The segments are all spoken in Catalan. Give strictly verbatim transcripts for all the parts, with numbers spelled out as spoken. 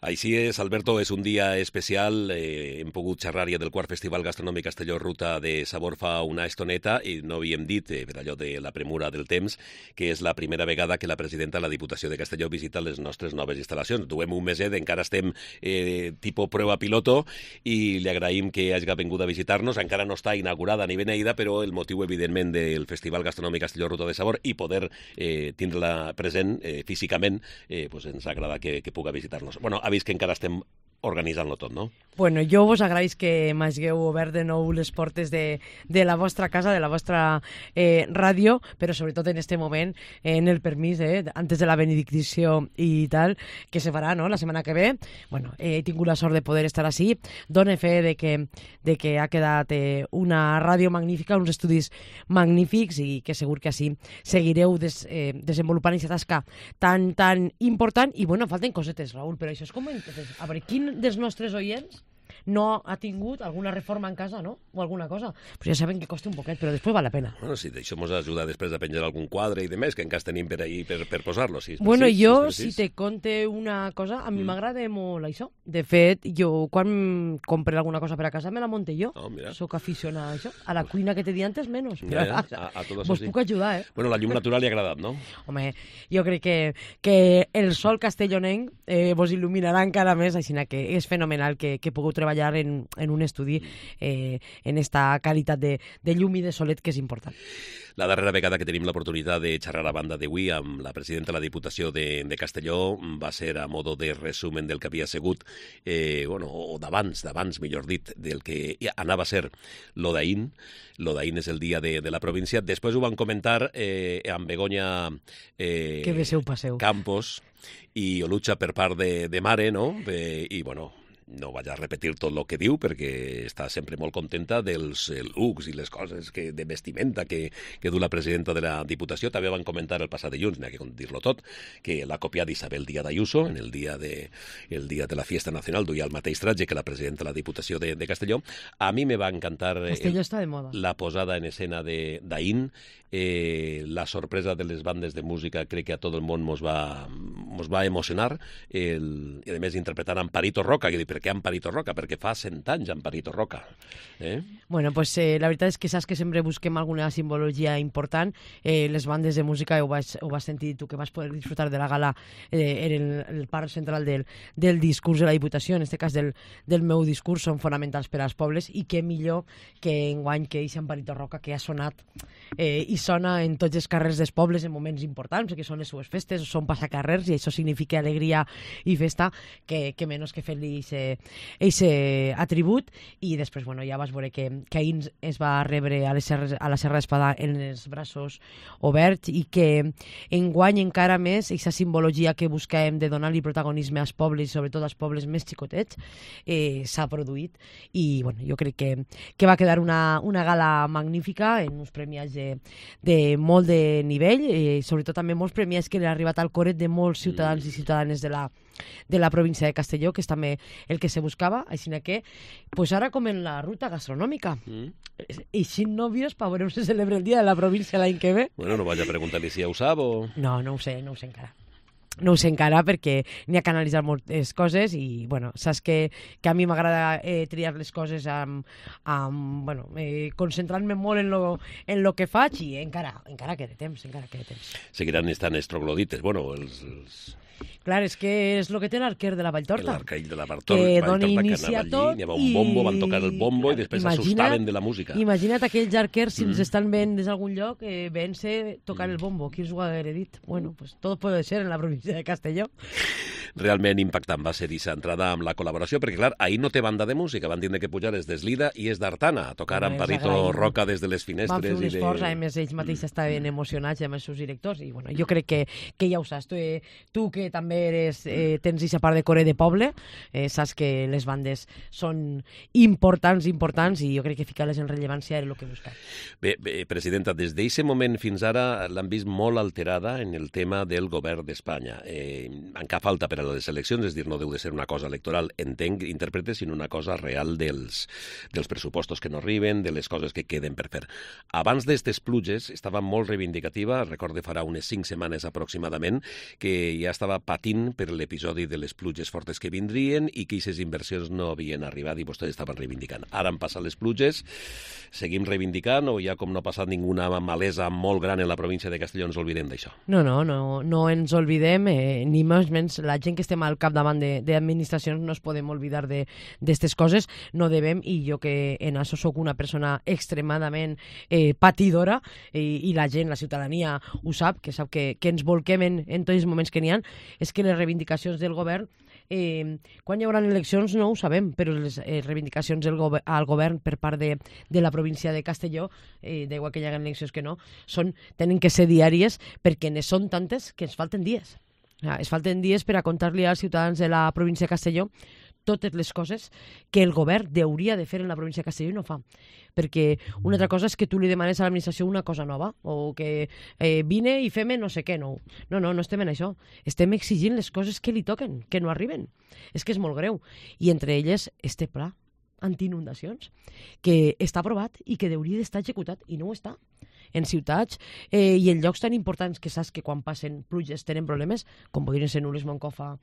Així és, Alberto, és un dia especial. Eh, hem pogut xerrar ja del quart Festival Gastronòmic Castelló Ruta de Sabor fa una estoneta i no havíem dit, eh, per allò de la premura del temps, que és la primera vegada que la presidenta de la Diputació de Castelló visita les nostres noves instal·lacions. Duem un meset, encara estem eh, tipus prova piloto i li agraïm que hagi vingut a visitar-nos. Encara no està inaugurada ni beneïda, però el motiu, evidentment, del Festival Gastronòmic Castelló Ruta de Sabor i poder eh, tindre-la present eh, físicament, eh, pues ens agrada que, que puga visitar-nos. Bueno, ha vist que encara estem organitzant-lo tot, no? Bueno, jo vos agraïs que m'hagueu obert de nou les portes de, de la vostra casa, de la vostra eh, ràdio, però sobretot en este moment, eh, en el permís, eh, antes de la benedicció i tal, que se farà, no?, la setmana que ve. Bueno, eh, he tingut la sort de poder estar així. Done fe de que, de que ha quedat eh, una ràdio magnífica, uns estudis magnífics i que segur que així seguireu des, eh, desenvolupant aquesta tasca tan, tan important. I, bueno, falten cosetes, Raül, però això és com... A veure, quin dels nostres oients no ha tingut alguna reforma en casa, no? O alguna cosa. Pues ja saben que costa un poquet, però després val la pena. Bueno, si d'això ens ajuda després a penjar algun quadre i de més, que encara tenim per ahí per, per posar-lo. Si bueno, precís, jo, si, si te conte una cosa, a mi m'agrada mm. molt això. De fet, jo, quan compre alguna cosa per a casa, me la monte jo. Oh, Soc aficionada a això. A la cuina que te di antes, menos. Ja, ja. A, a tot vos sí. puc ajudar, eh? Bueno, la llum natural li ha agradat, no? Home, jo crec que, que el sol castellonenc eh, vos il·luminarà encara més, així que és fenomenal que, que pugueu treballar en, en un estudi eh, en esta qualitat de, de llum i de solet, que és important. La darrera vegada que tenim l'oportunitat de xerrar a banda d'avui amb la presidenta de la Diputació de, de Castelló va ser a modo de resumen del que havia sigut, eh, bueno, o d'abans, d'abans, millor dit, del que anava a ser l'Odaín. L'Odaín és el dia de, de la província. Després ho van comentar eh, amb Begoña eh, que beseu, passeu. Campos i Olucha per part de, de mare, no? Eh, I, bueno... no vaig a repetir tot el que diu perquè està sempre molt contenta dels looks i les coses que, de vestimenta que, que du la presidenta de la Diputació. També van comentar el passat dilluns, n'hi ha que dir-lo tot, que l'ha copiat Isabel Díaz Ayuso en el dia de, el dia de la Fiesta Nacional, duia el mateix tratge que la presidenta de la Diputació de, de Castelló. A mi me va encantar Castelló el, està de moda. La posada en escena d'Aín, eh, la sorpresa de les bandes de música, crec que a tot el món mos va, mos va emocionar, el, i a més interpretant Amparito Roca, que dic, per què Amparito Roca? Perquè fa cent anys Amparito Roca. Eh? Bueno, pues eh, la veritat és que saps que sempre busquem alguna simbologia important. Eh, les bandes de música, ho vas, ho vas sentir tu, que vas poder disfrutar de la gala eh, en el, el part central del, del discurs de la Diputació, en aquest cas del, del meu discurs, són fonamentals per als pobles, i què millor que enguany que aquest Amparito Roca, que ha sonat eh, i sona en tots els carrers dels pobles en moments importants, que són les seues festes, són passacarrers, i això significa alegria i festa, que, que menys que fer-li aquest atribut. I després, bueno, ja vas veure que, que ahir es va rebre a, les serres, a la Serra d'Espadà en els braços oberts, i que enguany encara més aquesta simbologia que busquem de donar-li protagonisme als pobles, sobretot als pobles més xicotets, eh, s'ha produït. I bueno, jo crec que, que va quedar una, una gala magnífica, en uns premiats de, de molt de nivell, eh, sobretot també molts premiats que han arribat al coret de molts ciutadans i ciutadanes de la de la província de Castelló, que és també el que se buscava, així que pues ara com en la ruta gastronòmica mm. i sin novios per veure on se celebra el dia de la província l'any que ve. Bueno, no vaig a preguntar-li si ja ho sap o... No, no ho sé, no ho sé encara. No ho sé encara perquè n'hi ha que analitzar moltes coses i, bueno, saps que, que a mi m'agrada eh, triar les coses amb, amb bueno, eh, concentrant-me molt en lo, en lo que faig, i encara, encara queda temps, encara queda temps. Seguiran estant els troglodites, bueno, els... els... Clar, és que és el que té l'arquer de la Valltorta. L'arquell de la Valltorta, que dona inicia tot. Hi havia un bombo, van tocar el bombo i després s'assustaven de la música. Imagina't aquells arquers, si ens mm. estan veient des d'algun lloc, eh, ven-se tocar mm. el bombo. Qui us ho haguera dit? Bueno, pues todo puede ser en la província de Castelló. Realment impactant va ser aquesta entrada amb la col·laboració, perquè, clar, ahir no té banda de música, van tindre que pujar des d'Eslida i és d'Artana, a tocar Amparito Roca des de les finestres. Van fer un i esforç, de... a més ells mateixos estaven emocionats amb els seus directors, i bueno, jo crec que, que ja ho saps. Tu, eh, tu que també eres, eh, tens aquesta part de core de poble, eh, saps que les bandes són importants, importants, i jo crec que ficar-les en rellevància era el que buscava. Bé, bé, presidenta, des d'aquest moment fins ara l'han vist molt alterada en el tema del govern d'Espanya. Eh, encara falta per a les eleccions, és dir, no deu de ser una cosa electoral, entenc, interprete, sinó una cosa real dels, dels pressupostos que no arriben, de les coses que queden per fer. Abans d'estes pluges estava molt reivindicativa, recordo farà unes cinc setmanes aproximadament, que ja estava patint per l'episodi de les pluges fortes que vindrien i que aquestes inversions no havien arribat i vostès estaven reivindicant. Ara han passat les pluges, seguim reivindicant o ja com no ha passat ninguna malesa molt gran en la província de Castelló ens oblidem d'això? No, no, no, no ens oblidem, eh, ni més menys la gent que estem al capdavant d'administracions no es podem oblidar d'aquestes coses, no devem, i jo que en això sóc una persona extremadament eh, patidora i, i la gent, la ciutadania ho sap, que sap que, que ens volquem en, en tots els moments que n'hi ha, és que les reivindicacions del govern Eh, quan hi haurà eleccions no ho sabem, però les eh, reivindicacions del gover al govern per part de, de la província de Castelló, eh, d'igual que hi ha eleccions que no, són, tenen que ser diàries perquè ne són tantes que ens falten dies. Ja, es falten dies per a contar-li als ciutadans de la província de Castelló totes les coses que el govern hauria de fer en la província de Castelló i no fa. Perquè una altra cosa és que tu li demanes a l'administració una cosa nova o que eh, vine i fem no sé què. No. no, no, no estem en això. Estem exigint les coses que li toquen, que no arriben. És que és molt greu. I entre elles este pla antiinundacions, que està aprovat i que hauria d'estar executat i no ho està. En ciutats eh, i en llocs tan importants que saps que quan passen pluges tenen problemes, com podrien ser Nules, Moncofa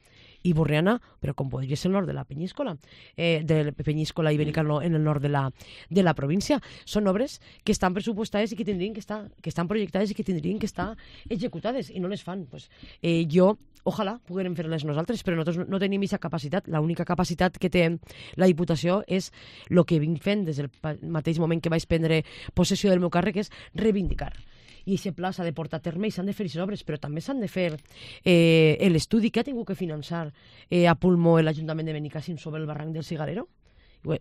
i Borriana, però com podria ser el nord de la Penyíscola, eh, de la Penyíscola Ibèrica en el nord de la, de la província. Són obres que estan pressupostades i que tindrien que estar, que estan projectades i que tindrien que estar executades i no les fan. Pues, eh, jo, ojalà poguérem fer-les nosaltres, però nosaltres no tenim aquesta capacitat. L'única capacitat que té la Diputació és el que vinc fent des del mateix moment que vaig prendre possessió del meu càrrec, és reivindicar. I aquest pla s'ha de portar a terme i s'han de fer aquestes obres, però també s'han de fer eh, l'estudi que ha tingut que finançar eh, a pulmó l'Ajuntament de Benicàssim sobre el barranc del Cigarero.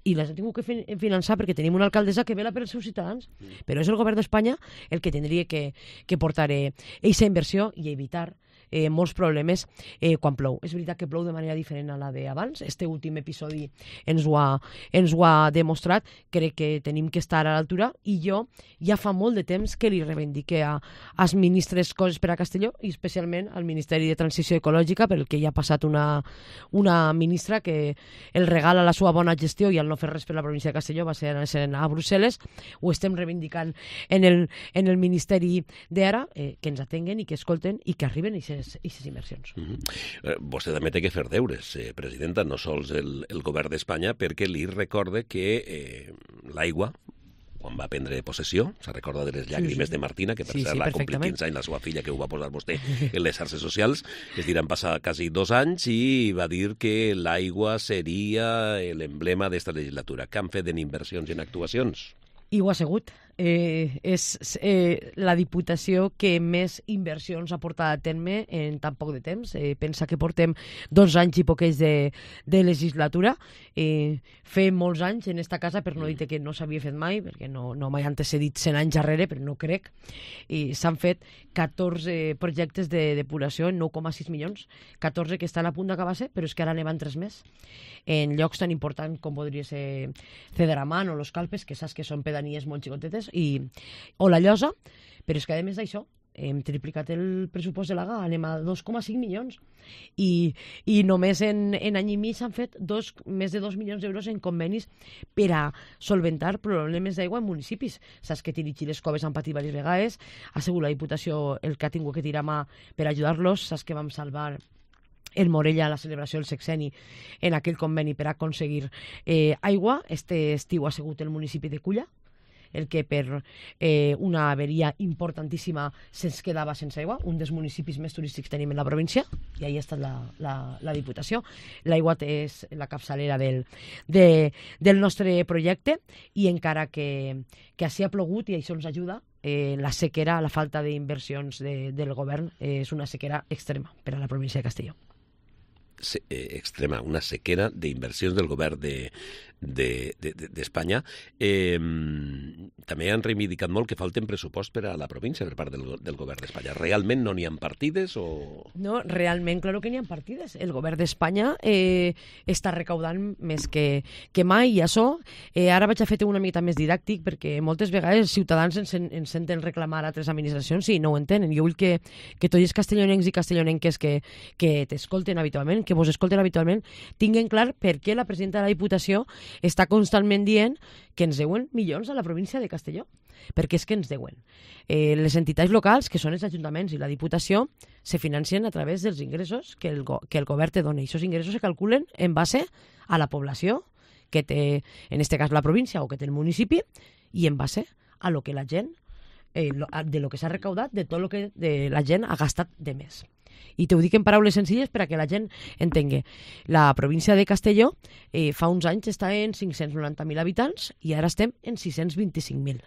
I les ha tingut que finançar perquè tenim una alcaldessa que vela per els seus ciutadans, mm. però és el govern d'Espanya el que tindria que, que portar aquesta eh, inversió i evitar eh, molts problemes eh, quan plou. És veritat que plou de manera diferent a la d'abans. Este últim episodi ens ho, ha, ens ho ha demostrat. Crec que tenim que estar a l'altura i jo ja fa molt de temps que li reivindique a, als ministres coses per a Castelló i especialment al Ministeri de Transició Ecològica, perquè hi ha passat una, una ministra que el regala la seva bona gestió i al no fer res per la província de Castelló va ser a Brussel·les. Ho estem reivindicant en el, en el Ministeri d'Ara, eh, que ens atenguen i que escolten i que arriben i aquestes inversions. Mm -hmm. eh, vostè també té que fer deures, eh, presidenta, no sols el, el govern d'Espanya, perquè li recorde que eh, l'aigua, quan va prendre possessió, se recorda de les llàgrimes sí, sí. de Martina, que per sí, cert sí, l'ha complit quinze anys la seva filla, que ho va posar vostè en les xarxes socials, es diran passar quasi dos anys i va dir que l'aigua seria l'emblema d'esta legislatura. Què han fet en inversions i en actuacions? I ho ha sigut. Eh, és eh, la Diputació que més inversions ha portat a terme en tan poc de temps. Eh, pensa que portem dos anys i poquets de, de legislatura. Eh, fer molts anys en esta casa, per no dir que no s'havia fet mai, perquè no, no m'he antecedit cent anys darrere, però no crec. I s'han fet catorze projectes de depuració en nou coma sis milions, catorze que estan a punt d'acabar-se, però és que ara ne van tres més. En llocs tan importants com podria ser Cedramán o Los Calpes, que saps que són pedanies molt xicotetes, i, o la Llosa, però és que a més d'això hem triplicat el pressupost de l'A G A, anem a dos coma cinc milions i, i només en, en any i mig s'han fet dos, més de dos milions d'euros en convenis per a solventar problemes d'aigua en municipis. Saps que Tirig i les Coves han patit diverses vegades, ha sigut la Diputació el que ha tingut que tirar mà per ajudar-los. Saps que vam salvar el Morella a la celebració del sexeni en aquell conveni per aconseguir eh, aigua. Este estiu ha sigut el municipi de Culla el que per eh, una averia importantíssima se'ns quedava sense aigua, un dels municipis més turístics que tenim en la província, i ahí ha estat la, la, la Diputació. L'aigua és la capçalera del, de, del nostre projecte i encara que, que així ha plogut i això ens ajuda, eh, la sequera, la falta d'inversions de, del govern eh, és una sequera extrema per a la província de Castelló. Se, eh, extrema, una sequera d'inversions del govern de d'Espanya. De, de, eh, també han reivindicat molt que falten pressupost per a la província per part del, del govern d'Espanya. Realment no n'hi ha partides? O... No, realment, claro que n'hi ha partides. El govern d'Espanya eh, està recaudant més que, que mai i això, eh, ara vaig a fer una mica més didàctic perquè moltes vegades els ciutadans ens, ens senten reclamar a altres administracions i no ho entenen. Jo vull que, que tots els castellonencs i castellonenques que, que t'escolten habitualment, que vos escolten habitualment, tinguen clar per què la presidenta de la Diputació està constantment dient que ens deuen milions a la província de Castelló. perquè és que ens deuen. Eh, les entitats locals, que són els ajuntaments i la Diputació, se financen a través dels ingressos que el, go que el govern te dona. I aquests ingressos se calculen en base a la població que té, en este cas la província o que té el municipi, i en base a lo que la gent, eh, lo, de lo que s'ha recaudat, de tot lo que de la gent ha gastat de més. I t'ho dic en paraules senzilles per a que la gent entengui. La província de Castelló eh, fa uns anys estava en cinc-cents noranta mil habitants i ara estem en sis-cents vint-i-cinc mil.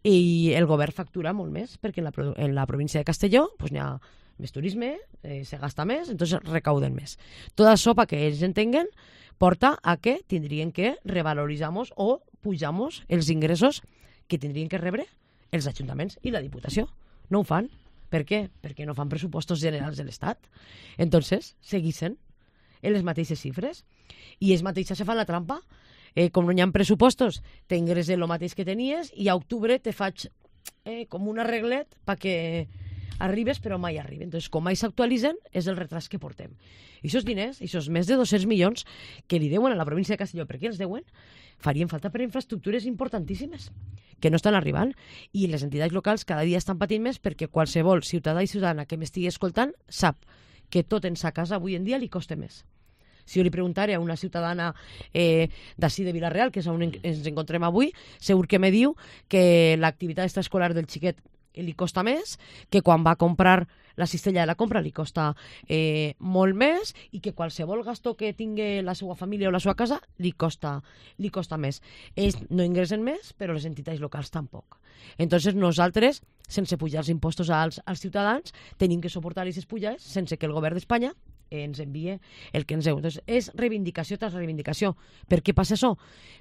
I el govern factura molt més perquè en la, en la província de Castelló pues, n'hi ha més turisme, eh, se gasta més, entonces recauden més. Tot això, per que ells entenguen, porta a que tindrien que revaloritzamos o pujamos els ingressos que tindrien que rebre els ajuntaments i la Diputació. No ho fan. Per què? Perquè no fan pressupostos generals de l'Estat. Entonces, seguixen en les mateixes xifres. I ells mateixes se fan la trampa. Eh, com no hi ha pressupostos, t'ingresses el mateix que tenies i a octubre te faig eh, com un arreglet perquè arribes però mai arriben. Entonces, com mai s'actualitzen, és el retras que portem. I aquests diners, aquests més de dos-cents milions que li deuen a la província de Castelló, per què els deuen? Farien falta per a infraestructures importantíssimes que no estan arribant, i les entitats locals cada dia estan patint més perquè qualsevol ciutadà i ciutadana que m'estigui escoltant sap que tot en sa casa avui en dia li costa més. Si jo li preguntara a una ciutadana eh, d'ací de Vila-real, que és on ens encontrem avui, segur que me diu que l'activitat extraescolar del xiquet li costa més, que quan va a comprar la cistella de la compra li costa eh, molt més i que qualsevol gasto que tingui la seva família o la seva casa li costa, li costa més. Ells no ingressen més, però les entitats locals tampoc. Entonces nosaltres, sense pujar els impostos als, als ciutadans, tenim que suportar aquestes pujades sense que el govern d'Espanya ens envie el que ens deu. Entonces, és reivindicació tras reivindicació. Per què passa això?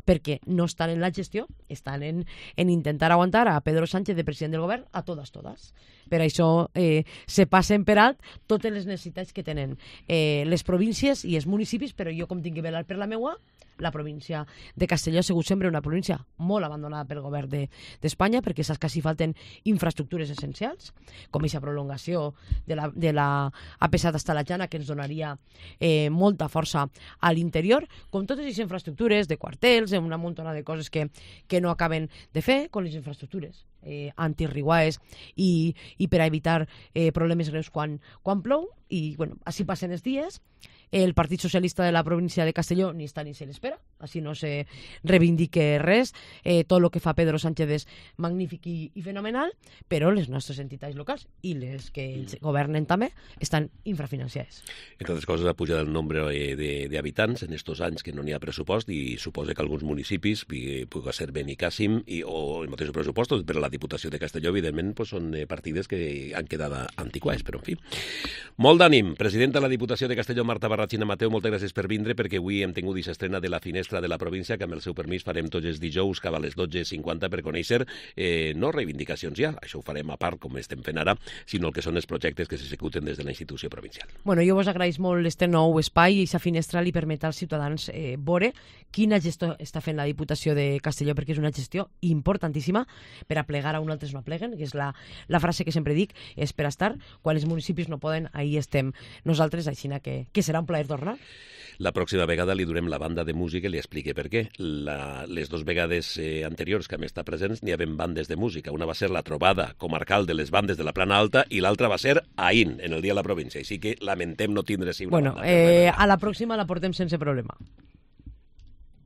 Perquè no estan en la gestió, estan en, en intentar aguantar a Pedro Sánchez de president del govern a totes, totes. Per això eh, se passen per alt totes les necessitats que tenen eh, les províncies i els municipis, però jo com tinc que velar per la meua, la província de Castelló ha sigut sempre una província molt abandonada pel govern d'Espanya, de, perquè saps que s'hi falten infraestructures essencials, com aquesta prolongació de la, de la A P set hasta la Jana, que ens donaria eh, molta força a l'interior, com totes aquestes infraestructures de quartels, una muntona de coses que, que no acaben de fer, com les infraestructures eh, antirriguaes i, i per a evitar eh, problemes greus quan, quan plou, i bueno, així passen els dies. El Partit Socialista de la província de Castelló ni està ni se l'espera, així no se reivindique res. Eh, tot el que fa Pedro Sánchez és magnífic i, i fenomenal, però les nostres entitats locals i les que ells governen també estan infrafinanciades. Entre altres coses, ha pujat el nombre d'habitants en estos anys que no n'hi ha pressupost i suposa que alguns municipis, pugui ser Benicàssim i, o els mateixos pressupostos, però la Diputació de Castelló, evidentment, pues, són partides que han quedat antiquades, però en fi. Molt d'ànim. Presidenta de la Diputació de Castelló, Marta Barrachina Mateu, moltes gràcies per vindre, perquè avui hem tingut aquesta estrena de la finestra de la província, que amb el seu permís farem tots els dijous cap a les dotze cinquanta per conèixer eh, no reivindicacions ja, això ho farem a part com estem fent ara, sinó el que són els projectes que s'executen des de la institució provincial. Bueno, jo vos agraïs molt este nou espai i aquesta finestra li permet als ciutadans eh, veure quina gestió està fent la Diputació de Castelló, perquè és una gestió importantíssima per a plegar a un altres no pleguen, que és la, la frase que sempre dic, és per a estar, quan els municipis no poden, ahí estem nosaltres, així que, que serà un plaer tornar. La pròxima vegada li durem la banda de música i li explique per què. La, les dues vegades eh, anteriors que hem estat presents n'hi havia bandes de música. Una va ser la trobada comarcal de les bandes de la Plana Alta i l'altra va ser ahir, en el Dia de la Província. Així que lamentem no tindre així una bueno, banda. Eh, a la pròxima la portem sense problema.